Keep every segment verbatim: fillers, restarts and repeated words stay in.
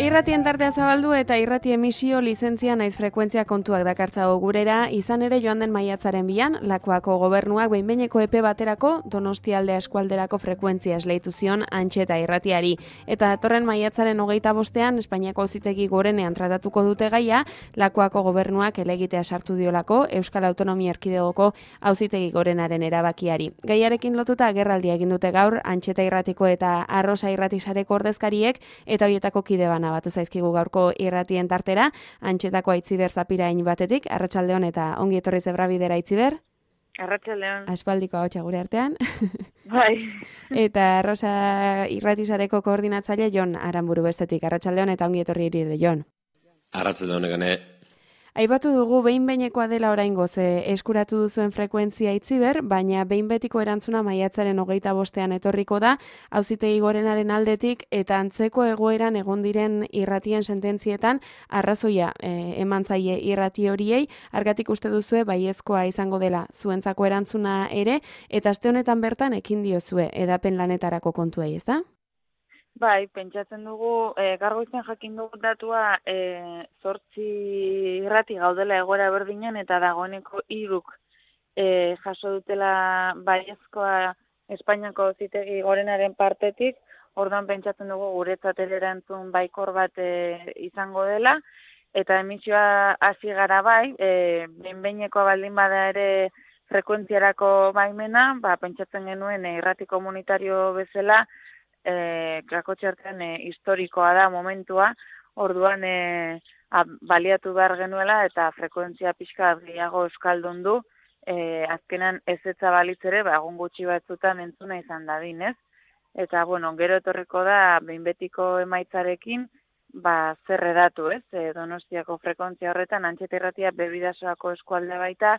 Irratien tartea zabaldu eta irrati emisio lizentzia naiz frekuentzia kontuak dakartzago gurera, izan ere joan den maiatzaren bian, Lakuako gobernuak behin-behineko epe baterako Donostialdea eskualderako frekuentzia esleitu zion Antxeta irratiari. Eta datorren maiatzaren hogeita bostean, Espainiako Auzitegi Gorenean tratatuko dute gaia, Lakuako gobernuak helegitea sartu diolako Euskal Autonomia Erkidegoko Auzitegi Gorenaren erabakiari. Gaiarekin lotuta agerraldia egin dute gaur Antxeta irratiko eta Arrosa irratisareko ordezkariek eta hoietako kide bana batu zaizkigu gaurko irratien tartera, Antxetako Aitziber Zapirain batetik, arratsaldeon eta ongi etorri Zebrabidera Aitziber. Arratsaldeon. Aspaldiko ahotsa gure artean. Bai. Eta Rosa irratisareko koordinatzaile Jon Aranburu bestetik, arratsaldeon eta ongi etorri ere Jon. Arratsaldeon egane. Aipatu dugu behin-behinekoa dela oraingoz eskuratu duzuen frekuentzia Aitziber, baina behin betiko erantzuna maiatzaren hogeita bostean etorriko da, Auzitegi Gorenaren aldetik eta antzeko egoeran egon diren irratien sententzietan arrazoia e, eman zaie irrati horiei, argatik uste duzue baiezkoa izango dela zuentzako erantzuna ere, eta aste honetan bertan ekin diozue edapen lanetarako kontuei, ezta? Bai, pentsatzen dugu, e, gargoizen jakin dugu datua e, zortzi irrati gaudela egoera berdinen eta dagoeneko hiruk e, jaso dutela baiezkoa Espainiako Auzitegi Gorenaren partetik, orduan pentsatzen dugu guretzat ere erantzun baikor bat e, izango dela, eta emisioa hasi gara bai, e, behin-behinekoa baldin bada ere frekuentziarako baimena, ba, pentsatzen genuen e, irrati komunitario bezala, E, Krakotxartean e, historikoa da momentua, orduan e, a, baliatu behar genuela eta frekuentzia pixka gehiago euskaldun du, e, azkenan ez etza balitzere, ba, egun gutxi batzutan entzuna izan dadin, ez? Eta, bueno, gero etorriko da, behin betiko emaitzarekin, ba, zer edatu, ez? E, Donostiako frekuentzia horretan, Antxeta irratia bebidasoako eskualdea baita,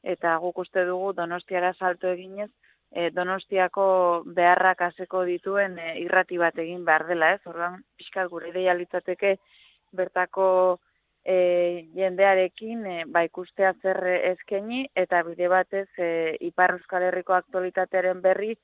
eta guk uste dugu Donostiara salto eginez, E, Donostiako beharrak haseko dituen e, irrati bat egin behar dela, ez? Orduan, pixkat gure ideia litzateke bertako e, jendearekin e, ba, ikustea zer eskaini eta bide batez e, Ipar Euskal Herriko aktualitatearen berri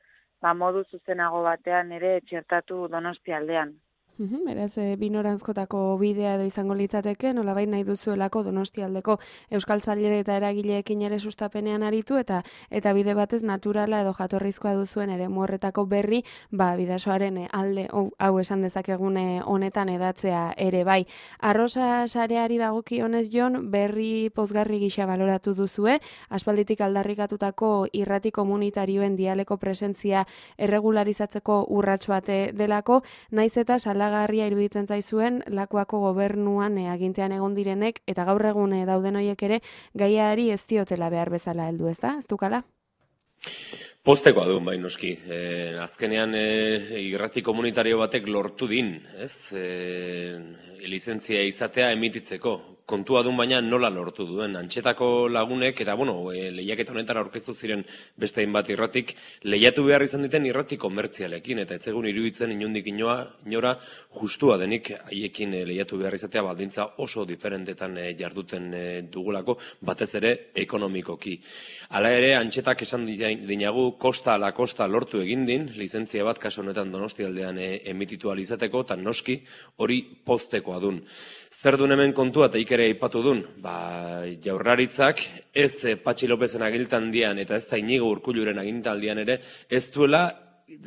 ba, modu zuzenago batean ere txertatu Donostialdean. Uhum, beraz, e, binorantzkotako bidea edo izango litzateke, nolabait nahi duzuelako Donostialdeko euskaltzaile eta eragileekin ere sustapenean aritu eta eta bide batez naturala edo jatorrizkoa duzuen ere horretako berri, ba, bidasoaren alde hau, hau esan dezakegune honetan edatzea ere bai. Arrosa sareari dagokionez Jon, berri pozgarri gisa baloratu duzue, aspalditik aldarrikatutako irrati komunitarioen dialeko presentzia erregularizatzeko urrats bate delako, naiz eta sala garria iruditzen zaizuen Lakuako gobernuan e, agintean egon direnek eta gaur egun e, dauden hoiek ere gaiari ez diotela behar bezala heldu, ezta? Ez dukala? Postekoa du bai noski. E, azkenean e, irrati komunitario batek lortu din, ez? E, lizentzia izatea emititzeko. Kontua dun baina nola lortu duen. Antxetako lagunek, eta bueno, e, lehiaketa honetara aurkeztu ziren beste hainbat irratik, lehiatu behar izan diten irrati komertzialekin, eta etzegun iruditzen inondik inoa, inora justua denik haiekin e, lehiatu behar izatea baldintza oso diferentetan e, jarduten e, dugulako, batez ere ekonomikoki. Hala ere, Antxetak esan dinagu kosta ala kosta lortu egin din, lizentzia bat kaso honetan Donostialdean e, emititu alizateko, eta noski hori postekoa dun. Zer dun hemen kontua eta ikere aipatu dun, ba, Jaurlaritzak ez e, Patxi Lopezen agiltan dian eta ez da Inigo Urkulluren agintaldian ere, ez duela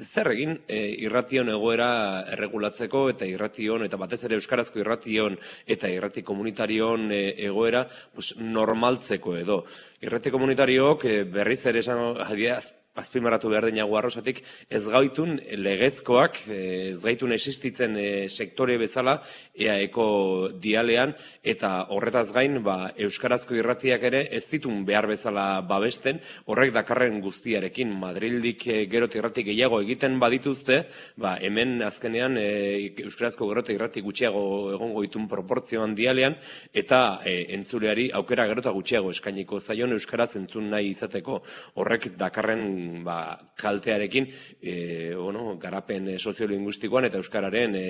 zer egin e, irration egoera erregulatzeko eta irration eta batez ere euskarazko irration eta irrati komunitarion e, egoera pues, normaltzeko edo. Irrati komunitariok e, berriz ere esan adiaz, azpimarratu behar dinago Arrosatik, ez gaitun legezkoak, ez gaitun existitzen sektore bezala eaeko dialean, eta horretaz gain, ba, euskarazko irratiak ere ez ditun behar bezala babesten, horrek dakarren guztiarekin, Madrildik gerot irrati gehiago egiten badituzte, ba, hemen azkenean e, euskarazko gerot irrati gutxiago egongo ditun proportzioan dialean, eta e, entzuleari aukera gerota gutxiago eskainiko zaion euskaraz entzun nahi izateko, horrek dakarren ba, kaltearekin e, bueno, garapen soziolinguistikoan eta euskararen e,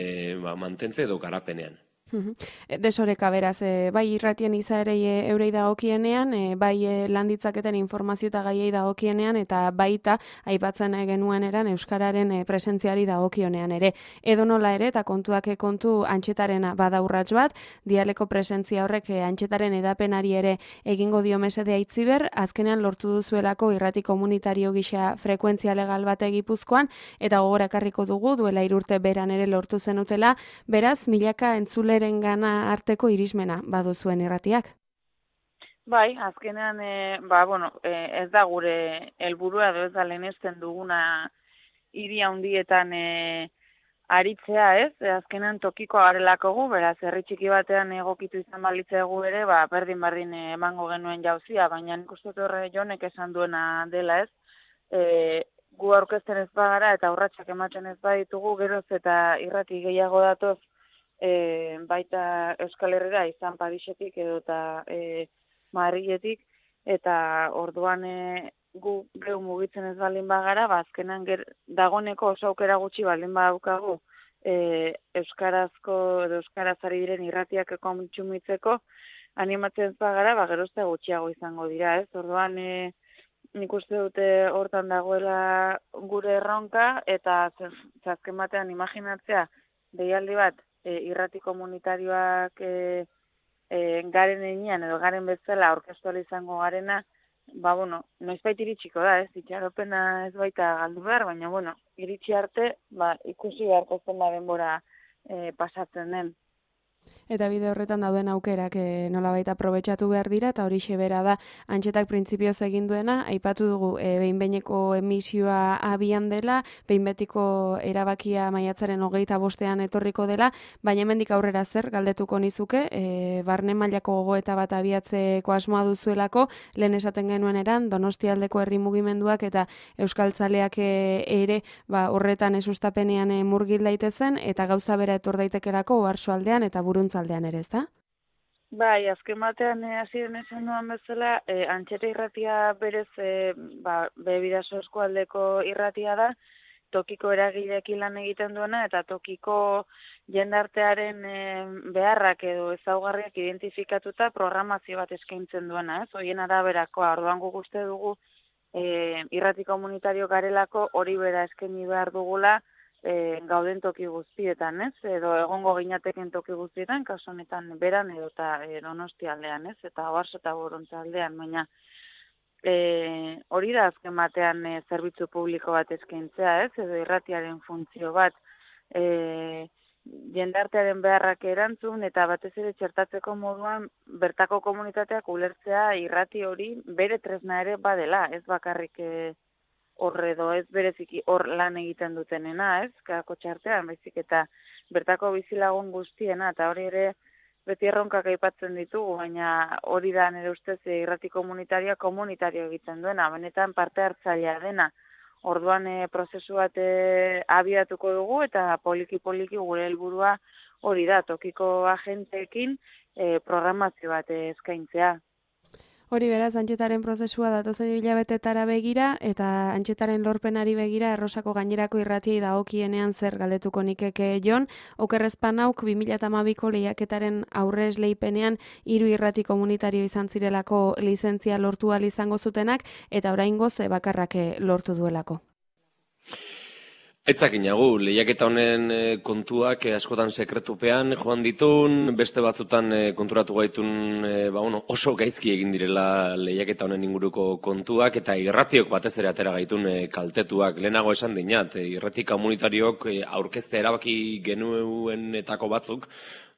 ba, mantentze edo garapenean. Desoreka beraz, e, bai irratien izaerei e, eurei dagokienean, e, bai e, landitzaketen informazio eta gaiei dagokienean, eta baita aipatzen genuen eran euskararen e, presentziari dagokionean ere. Edo nola ere, eta kontuak kontu antxetaren bada urrats bat, dialeko presentzia horrek e, antxetaren edapenari ere egingo dio mesedea itziber, azkenean lortu duzuelako irrati komunitario gisa frekuentzia legal bate Gipuzkoan, eta gogora ekarriko dugu, duela irurte beran ere lortu zenutela, beraz, milaka entzule gana arteko irismena baduzuen irratiak. Bai, azkenean, e, ba, bueno, e, ez da gure helburua edo ez da lehenesten duguna hiri handietan e, aritzea, ez? E, azkenean tokiko garelako gu, beraz, herri txiki batean egokitu izan balitzegu ere, ba, berdin-berdin emango genuen jauzia, baina nik uste horre Jonek esan duena dela, ez? E, gu aurkezten ez bagara eta urratsak ematen ez baditugu, geroz eta irrati gehiago datoz, E, baita Euskal Herrira izan Parisetik edo eta e, Madriletik, eta orduan e, gu geu mugitzen ez baldin bagara, ba, azkenan ger, dagoneko oso aukera gutxi baldin badaukagu e, Euskarazko edo Euskaraz ari diren irratiak kontsumitzeko, animatzen ez bagara, ba, gerozta gutxiago izango dira, ez? Orduan e, nik uste dute hortan dagoela gure erronka, eta azken batean imaginatzea deialdi bat, E, irrati komunitarioak e, e, garen enean edo garen bezala orkestual izango garena, ba, bueno, noizbait iritsiko da, ez, itxaropena ez baita galdu behar, baina, bueno, iritsi arte, ba, ikusi beharko zen da denbora e, pasatzen den. Eta bide horretan dauden aukerak e, nolabait aprobetxatu behar dira, eta horixe bera da antxetak printzipioz egin duena, aipatu dugu e, behin-behineko emisioa abian dela, behin-betiko erabakia maiatzaren hogeita bostean etorriko dela, baina hemendik aurrera zer galdetuko nizuke, e, barne mailako gogoeta bat abiatzeko asmoa duzuelako, lehen esaten genuen eran, Donostialdeko herri mugimenduak eta euskaltzaleak e, ere ba, horretan esustapenean e, murgil daitezen, eta gauza bera etor daitekelako oarsoaldean eta buruntzaldean ere, ezta? Bai, azken batean hasiren e, esan duan bezala, e, antxeta irratia berez e, ba, Bebidaso eskualdeko irratia da, tokiko eragileekin lan egiten duena, eta tokiko jendartearen e, beharrak edo ezaugarriak identifikatuta programazio bat eskaintzen duena, ez? Horien araberakoa, orduan guk uste dugu e, irrati komunitario garelako hori bera eskaini behar dugula, E, gauden toki guztietan, ez? Edo egongo ginateken toki guztietan, kasu honetan beran edo eta e, Donostialdean, ez? Eta Oarso eta Borontzaldean, baina e, hori da azken batean e, zerbitzu publiko bat eskaintzea, ez? Edo irratiaren funtzio bat e, jendartearen beharrak erantzun, eta batez ere txertatzeko moduan bertako komunitateak ulertzea irrati hori bere tresna ere badela, ez bakarrik e, horre edo ez bereziki hor lan egiten dutenena, ez, kako txartean, baizik eta bertako bizilagun guztiena, eta hori ere beti erronkak aipatzen ditugu, baina hori da nire ustez irrati komunitarioa komunitario egiten duena, benetan parte hartzailea dena. Orduan e, prozesu bat e, abiatuko dugu, eta poliki-poliki gure helburua hori da, tokiko agenteekin e, programazio bat e, eskaintzea. Hori beraz, antxetaren prozesua datozen hilabetetara begira, eta antxetaren lorpenari begira Errosako gainerako irratiei dagokienean zer galdetuko nikeke Jon, okerrezpan hauk bi mila hamabiko lehiaketaren aurre esleipenean hiru irrati komunitario izan zirelako lizentzia lortu ahal izango zutenak, eta oraingoz bakarrak lortu duelako. Etzakinagu, lehiaketa honen kontuak askotan sekretupean joan ditun, beste batzutan konturatu gaitun ba, bueno, oso gaizki egin direla lehiaketa honen inguruko kontuak, eta irratiok batez ere atera gaitun kaltetuak. Lehenago esan dinat, irrati komunitariok aurkezte erabaki genuenetako batzuk,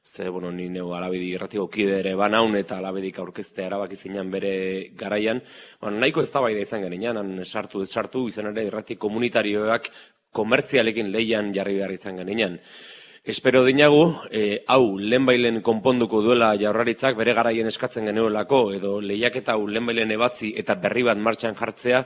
ze, bueno, ni neu alabedi irratiko kide ere banaun eta alabedik aurkezte erabaki zinan bere garaian, bueno, nahiko eztabaida izan genian, han sartu ez sartu, izan ere irrati komunitarioak komertzialekin lehian jarri behar izan genian. Espero dinagu, e, hau lehenbailen konponduko duela Jaurlaritzak bere garaien eskatzen genuelako, edo lehiaketa hau lehenbailen ebatzi eta berri bat martxan jartzea,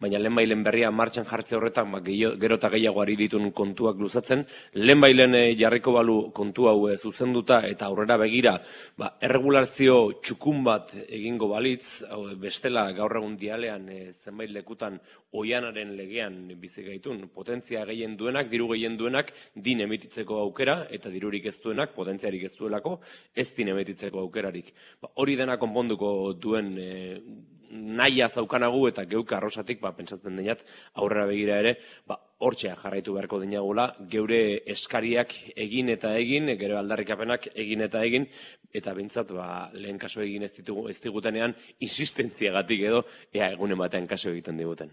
baina lehenbailen berria martxan jartze horretan ba, gero eta gehiago ari ditun kontuak luzatzen, lehenbailen e, jarriko balu kontu hau e, zuzenduta eta aurrera begira, ba, erregulazio txukun bat egingo balitz, hau, bestela gaur egun dialean e, zenbait lekutan oianaren legean bizi gaitun, potentzia gehien duenak, diru gehien duenak, din emititzeko aukera aukera, eta dirurik ez duenak, potentziarik ez duelako, ez din emetitzeko aukerarik. Ba, hori dena konponduko duen e, nahia zaukanagu eta geuk arrosatik, ba, pentsatzen dinat, aurrera begira ere, ba, hortxea jarraitu beharko dinagula, geure eskariak egin eta egin, gero aldarrikapenak egin eta egin, eta bintzat, ba, lehen kaso egin ez, ditugu, ez digutenean, insistentziagatik edo, ea egunen batean kaso egiten diguten.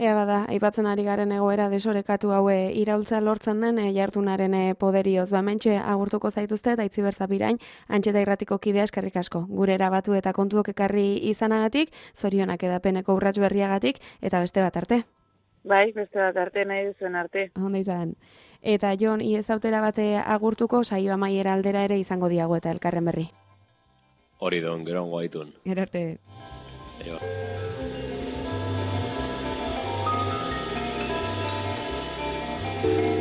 Ea bada, aipatzen ari garen egoera desorekatu haue iraultza lortzen den e, jartunaren e, poderioz. Ba, mentxe agurtuko zaituzte eta itzi berzapirain, antxeta irratiko kidea eskerrik asko. Gure erabatu eta kontuok ekarri izanagatik, zorionak edapeneko urrats berriagatik, eta beste bat arte. Bai, beste bat arte nahi duzuen arte. Onda izan. Eta Jon, iez autera bate agurtuko, saio amaiera aldera ere izango diago eta elkarren berri. Hori don, gero ongo haitun. Gero arte. Eo. Thank you.